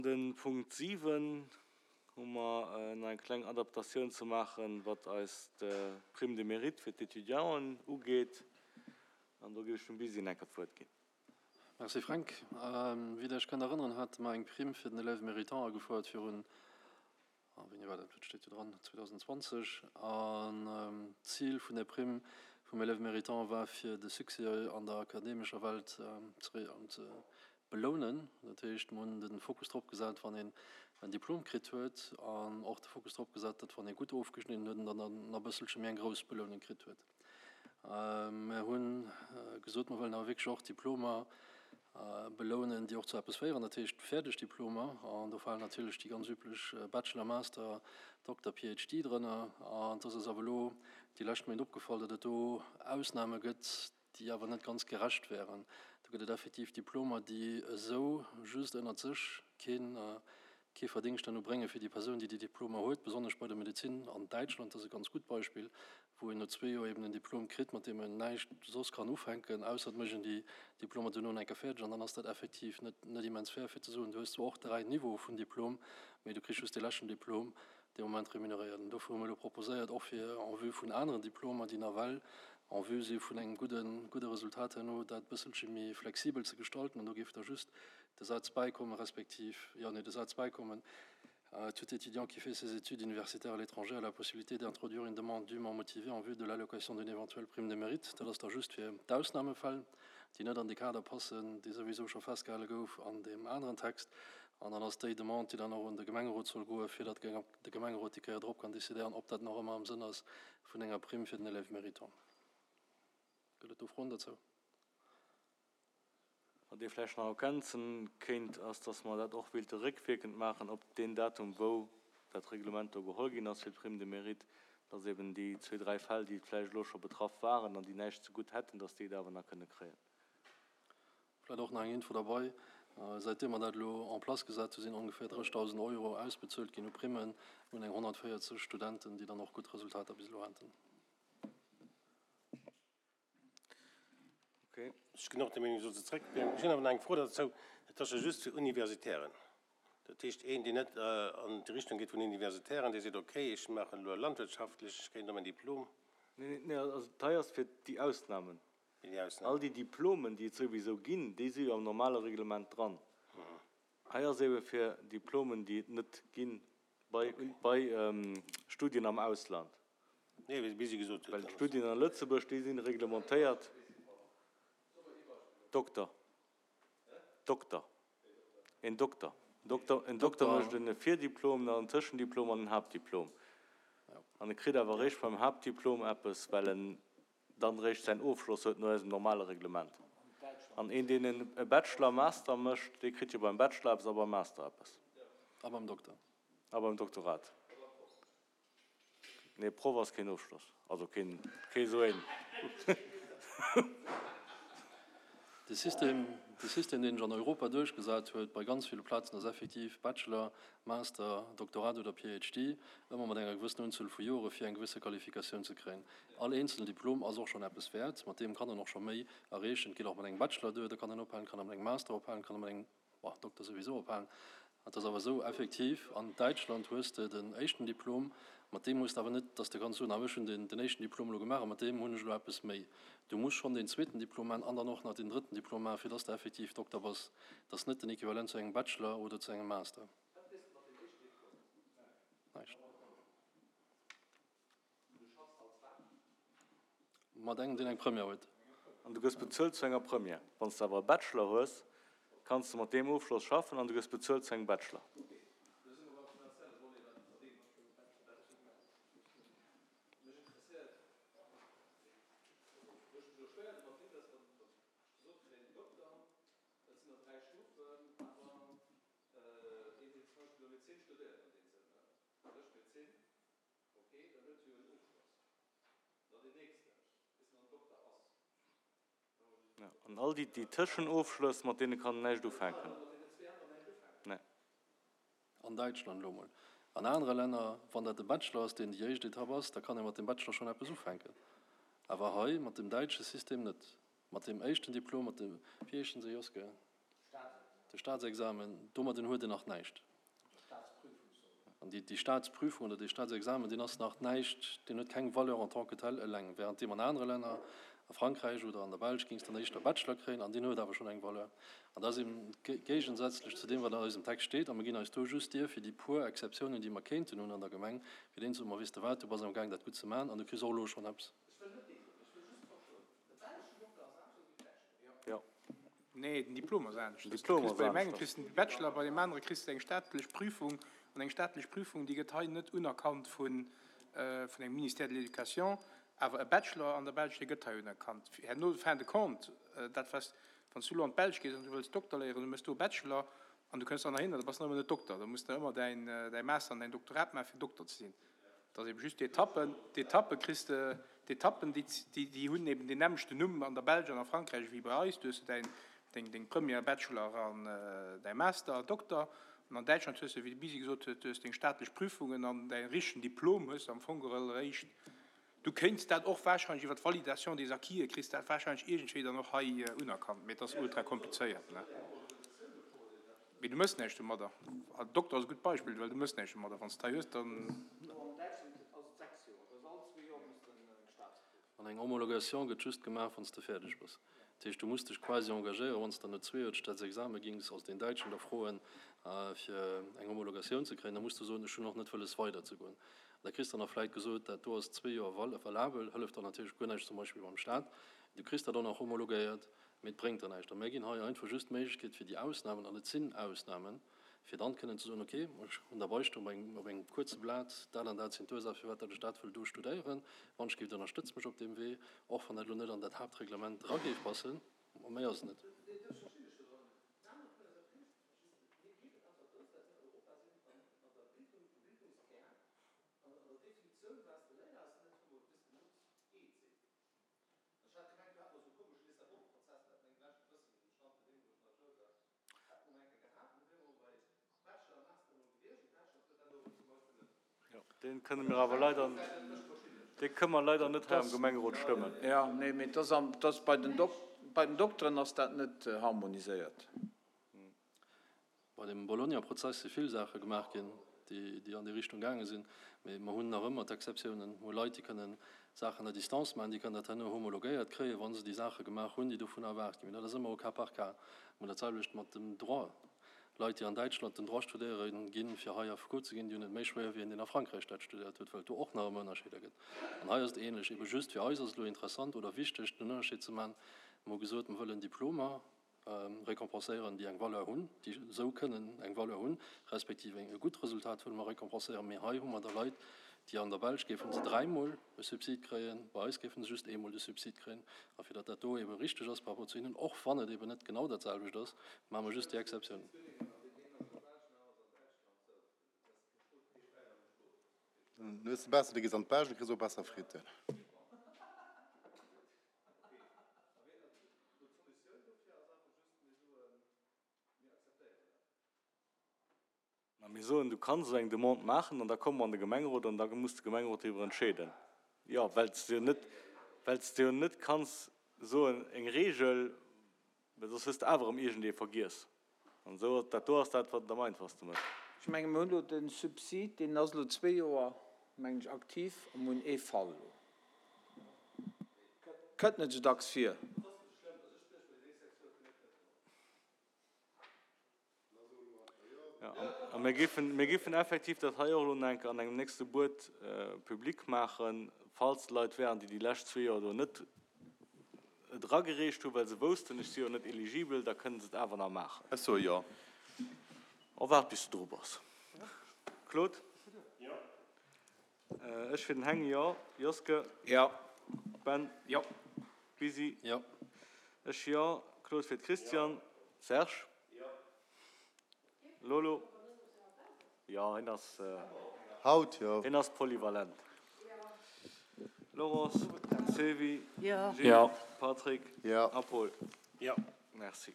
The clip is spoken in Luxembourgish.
De Punkt 7 hu mer nach eng kleng Adaptatioun ze maachen, wat eis d'Prime de mérite fir d'Étudianten ugeet. An do géif ech dem Busy enker d'Wuert ginn. Merci Fränk. Wéi Der Iech kënnt erënneren, hate mer eng Prime fir den Élève méritant agefouert virun, wéini war dat, dat steet jo dran, 2020. An d'Zil vun där Prime vum Élève méritant war, fir de Succès an der akademescher Welt ze Belounen. Dat heescht, mer hunn de Fokus drop gesat, wann een en Diplom kritt huet, an och de Fokus drop gesat, datt wann ee gutt ofgeschnidden huet, en dann nach e bësselche méi eng grouss Belounung kritt huet. Mer hu gesot, mer wëllen awer wierklech och Diplomer belounen, déi och zu eppes féieren, dat heescht fäerdeg Diplomer. An do falen natierlech déi ganz üblech Bachelor, Master, Dokter, PhD drënner. An et ass eis awer elo déi lescht Méint opgefall, datt et do Ausname gëtt, déi awer net ganz gerecht wären. Do gëtt et effektiv Diplomer, déi esou just ënnert sech keen, kee Verdingscht herno brénge fir déi Persoun, déi déi Diplomer huet, besonnesch bei der Medezin an Däitschland, dat ass e ganz gutt Beispill, wou een no zwee Joer eben en Diplom kritt, mat deem en näischt soss kann ufänken, ausser et mécht een déi Diplomer duerno eng Kéier fäerdeg. An dann ass dat effektiv net, net immens fair, fir ze soen, du hues zwar och dräi Niveaue vun Diplom, mee du kriss just dee leschten Diplom dee Moment remuneréiert. An dofir hu mir elo proposéiert, och fir en vue vun aneren Diplomer, déi nawell en vue si vun engem gudden, gudde Resultat herno, dat e bësselche méi flexibel ze gestalten. An do géif da just de Saz bäikommen, respektiv, jo, nee, de Saz bäikommen, Tout étudiant qui fait ses études universitaires à l'étranger a la possibilité d'introduire une demande dûment motivée en vue de l'allocation d'une éventuelle prime de mérite. Dat ass da just fir d'Ausnahmefäll, déi net an dee Kader passen, dee souwisou scho festgehale gouf an deem aneren Text. An dann ass déi Demande, déi dann och un de Gemengerot soll goen, fir datt de Gemengerot déi Kéier drop kann décidéieren, ob dat nach ëmmer am Sënn ass vun enger Primm fir den Élève méritant. Gëtt et do Froen dozou? Wat ee vläicht nach ergänzen kéint, ass, datt mer dat och wéilte réckwierkend maachen op deen Datum, wou dat Reglement do geholl ginn ass fir d'Prime de mérite, datt eben déi zwee, dräi Fäll, déi vläicht elo scho betraff waren an déi näischt zegutt hätten, datt déi et awer nach kënne kréien. Vläit och nach eng Info derbei, Säitdeem mer dat elo en place gesat hu sinn ongeféier 30.000 Euro ausbezuelt ginn u Primmen un eng 140 Studenten, déi dann och gutt Resultater bis elo haten. Okay. Ech ginn och der Meenung, soll se zréckbréngen. Ech hunn awer nach eng Fro derzou. Dat ass jo just fir Universitären. Dat heescht, een, deen net an déi Richtung geet vun Universitären, dee seet, okay, ech maachen elo landwirtschaftlech, ech kréien do mäin Diplom. Nee, nee, also dat hei ass fir déi Ausnamen. All déi Diplomen, déi et souwisou ginn, déi si jo am normale Reglement dran. Hei ass eebe fir Diplomen, déi et net gi bei Studien am Ausland. Well d'Studien a Lëtzebuerg, déi si reglementéiert. Dokter. Dokter. Een Dokter. En Dokter mécht e Virdiplom, dann en Tëschendiplom an en Haaptdiplom. An e kritt awer eréischt beim Haaptdiplom eppes, well en dann réischt säin Ofschloss huet no eisem normale Reglement. An een, deen e Bachelor, Master mécht, dee kritt jo beim Bachelor eppes a beim Master eppes. A beim Dokter. A beim Doktorat. Nee, Proff ass keen Ofschloss. Also keen, kee sou een. De System, de System, deen sech an Europa duerchgesat huet bei ganz ville Plazen, ass effektiv Bachelor, Master, Doktorat oder PhD, ëmmer mat enger gewëssenen Unzuel vu Jore fir eng gewësse Qualifikatioun ze kréien. All eenzelen Diplom ass och schonn eppes wäert, mat deem kann en och scho méi erreechen. Et geet och mat engem Bachelor duer, da kann en ophalen, kann e mat engem Master ophalen, kann e mat engem, bon, Dokter souwisou ophalen. Et ass awer esou, effektiv, an Däitschland hues de den éischten Diplom, mat deem hues de awer net, dass de kanns soen, ah ech hunn den den éischten Diplom elo gemaach a mat deem hunn ech elo eppes méi. Du muss schonn deen zweeten Diplom maachen an dann och nach deen drëtten Diplom maachen, fir dass de effektiv Dokter bass. Dat ass net den Equivalent zu engem Bachelor oder zu engem Master. Näischt. Mat engem, deen eng Première huet. An du gëss bezuelt zu enger Première. Wann s de awer e Bachelor hues, kanns de mat deem Ofschloss schaffen an du gëss bezuelt zu engem Bachelor. Ok, dann huet se jo en Ofschloss. Dann deen nächsten, bis en dann Dokter ass. Ja, an all déi, déi Tëschenofschlëss, mat deene kann en näischt ufänken. Nee. An Däitschland elo mol. An anere Länner, wann dat de Bachelor ass, deen déi éischt Etapp ass, da kann ee mat dem Bachelor schonn eppes ufänken. Awer hei mat dem däitsche System net. Mat deem éischten Diplom, mat dem, wéi heeschen se, Joske? De Staatsexamen, domadden huet en nach näischt. An déi Staatsprüfung oder dee Staatsexamen, deen ass nach näischt, deen huet keng Valeur en tant que tel eleng, währenddeem an anere Länner, a Frankräich oder an der Belsch, géings dann éischter Bachelor kréien an deen huet awer schonn eng Valeur. An dat ass eben géigesätzlech zu deem, wat an eisem Text steet. A mir ginn eis do just d'Dier fir déi puer Exceptiounen, déi mer kéinten hunn an der Gemeng, fir deenen ze soen, Ma weess de wat, du bass am Gaang dat gutt ze maachen an du kriss och elo schonn eppes. Jo. Nee, den Diplom ass anescht. Den Diplom ass Bei deem engen anescht. kriss de den Bachelor, bei deem anere kriss de eng staatlech Prüfung. An eng staatlech Prüfung, déi gëtt hei net unerkannt vun vun engem Ministère de l'Éducation, awer e Bachelor an der Belsch, dee gëtt hei unerkannt. Herno, fin de compte, dat was, wann s du elo an d'Belsch gees an du wëlls Dokter léieren, du méchs do e Bachelor an du kënns dann nach hin, da bass de nach ëmmer net Dokter. Da muss de ëmmer däin däi Master an däin Doktorat maachen, fir Dokter ze sinn. Et ass eben just d'Etappen, d'Etappe kriss de, d'Etappen, déi, déi hunn eben deen nämmlechten Numm an der Belsch an a Frankräich ewéi bei eis. Du hues däin, deng, deng Première, Bachelor an däi Master, Dokter. An an Däitschland hues de, wéi de Bisi gesot huet, du hues deng staatlech Prüfungen an däi richtegen Diplom hues de am Fong geholl eréischt. Du kéints dat och wahrscheinlech iwwer d'Validation des acquis, kriss dat wahrscheinlech iergendwéi dann och hei unerkannt, mee et ass ultra komplizéiert, ne? Mee du mëss näischt domadder. Dokter ass e gutt Beispill, well du mëss näischt domadder. Wann s de hei hues, dann. An eng Homologation gëtt just gemaach, wann s de fäerdeg bass. Dat heescht, du muss dech quasi engagéieren, wann s de no zwee Joer d'Staatsexame gings, also deen Däitschen da froen, fir eng Homologatioun ze kréien, da muss de soen, ech hunn och net wëlles weiderzegoen. An da kriss de dann nach vläit gesot, dat do ass zwee Joer valabel, hëlleft dann natierlech guer näischt zum Beispill beim Staat. Du kriss dat och nach homologéiert, mee et bréngt der näischt. A mir ginn hei einfach just d'Méiglechkeet fir déi Ausnamen, an et sinn Ausnamen, fir dann kënnen ze soen, okay, ech hunn derbei stoen op engem, op engem kuerze Blat, dat an dat sinn d'Ursaache firwat dat ech dat wëll do studéieren, wann ech géif, ënnerstëtzt mech op deem Wee, och wann dat elo net an dat Haaptreglement era géif passen, ma méi ass et net. Deen kënne mir awer leider, dee kënne mer leider net hei am Gemengerot stëmmen. Jo, nee, mee et ass bei den bei den Dokteren ass dat net harmoniséiert. Bei dem Bologna-Prozess si vill Saache gemaach ginn, déi an déi Richtung gaange sinn. Mee mer hunn nach ëmmer d'Exceptiounen. Mer hu Leit, déi kënnen Saachen à distance maachen, déi kënnen dat herno homologéiert kréien, wa se déi Saache gemaach hunn, déi dovunner erwaart ginn. Mee dat ass ëmmer au cas par cas. Mer hunn dat selwecht mat dem Droit. Leit, déi an Däitschland den Droit studéiere ginn, fir hei Affekot ze ginn, déi hunn et méi schwéier wéi een, deen a Frankräich dat studéiert huet, well et do och nach ëmmer Ënnerscheeder gëtt. An hei ass et ähnlech. Ebe just fir eis ass et elo interessant oder wichteg, den Ënnerscheed ze maachen. Mer hu gesot, mer wëllen Diplomer récompenséieren, déi eng Valeur hunn, déi esou kënnen eng Valeur hunn, respektiv e gutt Resultat wëlle mer récompenséieren. Mee hei hu mer da Leit, déi an der Belsch géife se dräimol e Subsid kréien, bei eis géife se just eemol de Subsid kréien. A fir datt dat do ebe richteg ass par rapport zu hinnen, och wann et eben net genau dat selwecht ass, maache mer just déi Exceptioun. Dann hues de besser, du gees an d'Belsch, du kriss och besser Fritten. Mä mir soen, du kanns esou eng Demande maachen an da komme mer an de Gemengerot an da muss de Gemengerot driwwer entscheeden. Jo, well s de jo net, well s de jo net kanns soen, eng Regel, well soss hues de awer erëm iergendee vergiess. An esou, dat do ass dat, wat et am einfachste mécht. Ech menge mir hunn elo de Subsid, deen ass elo zwee Joer, mengen ech, aktiv a mir hunn ee Fall elo. Kënnt net esou dacks vir. Jo, a mir géifen, mir géifen effektiv dat hei och elo nach eng Kéier an engem nächste Buet public maachen, falls Leit wären, déi déi lescht zwee Joer do net et eragereecht hunn, well se woussten, ech si jo net eligibel, da kënnen se et awer nach maachen. Ech soe jo. Oh, waart bis de dru bass. Claude? Jo. Ech fir den Heng, jo. Joske? Jo. Ben? Jo. Bisi? Jo. Ech jo. Claude fir d'Christiane. Serge? Jo. Lolo? Jo, hien ass. Haut jo. Hien ass polyvalent. Laurence, Sylvie, Jo. Gilles, Patrick Jo. a Paul. Jo. Merci.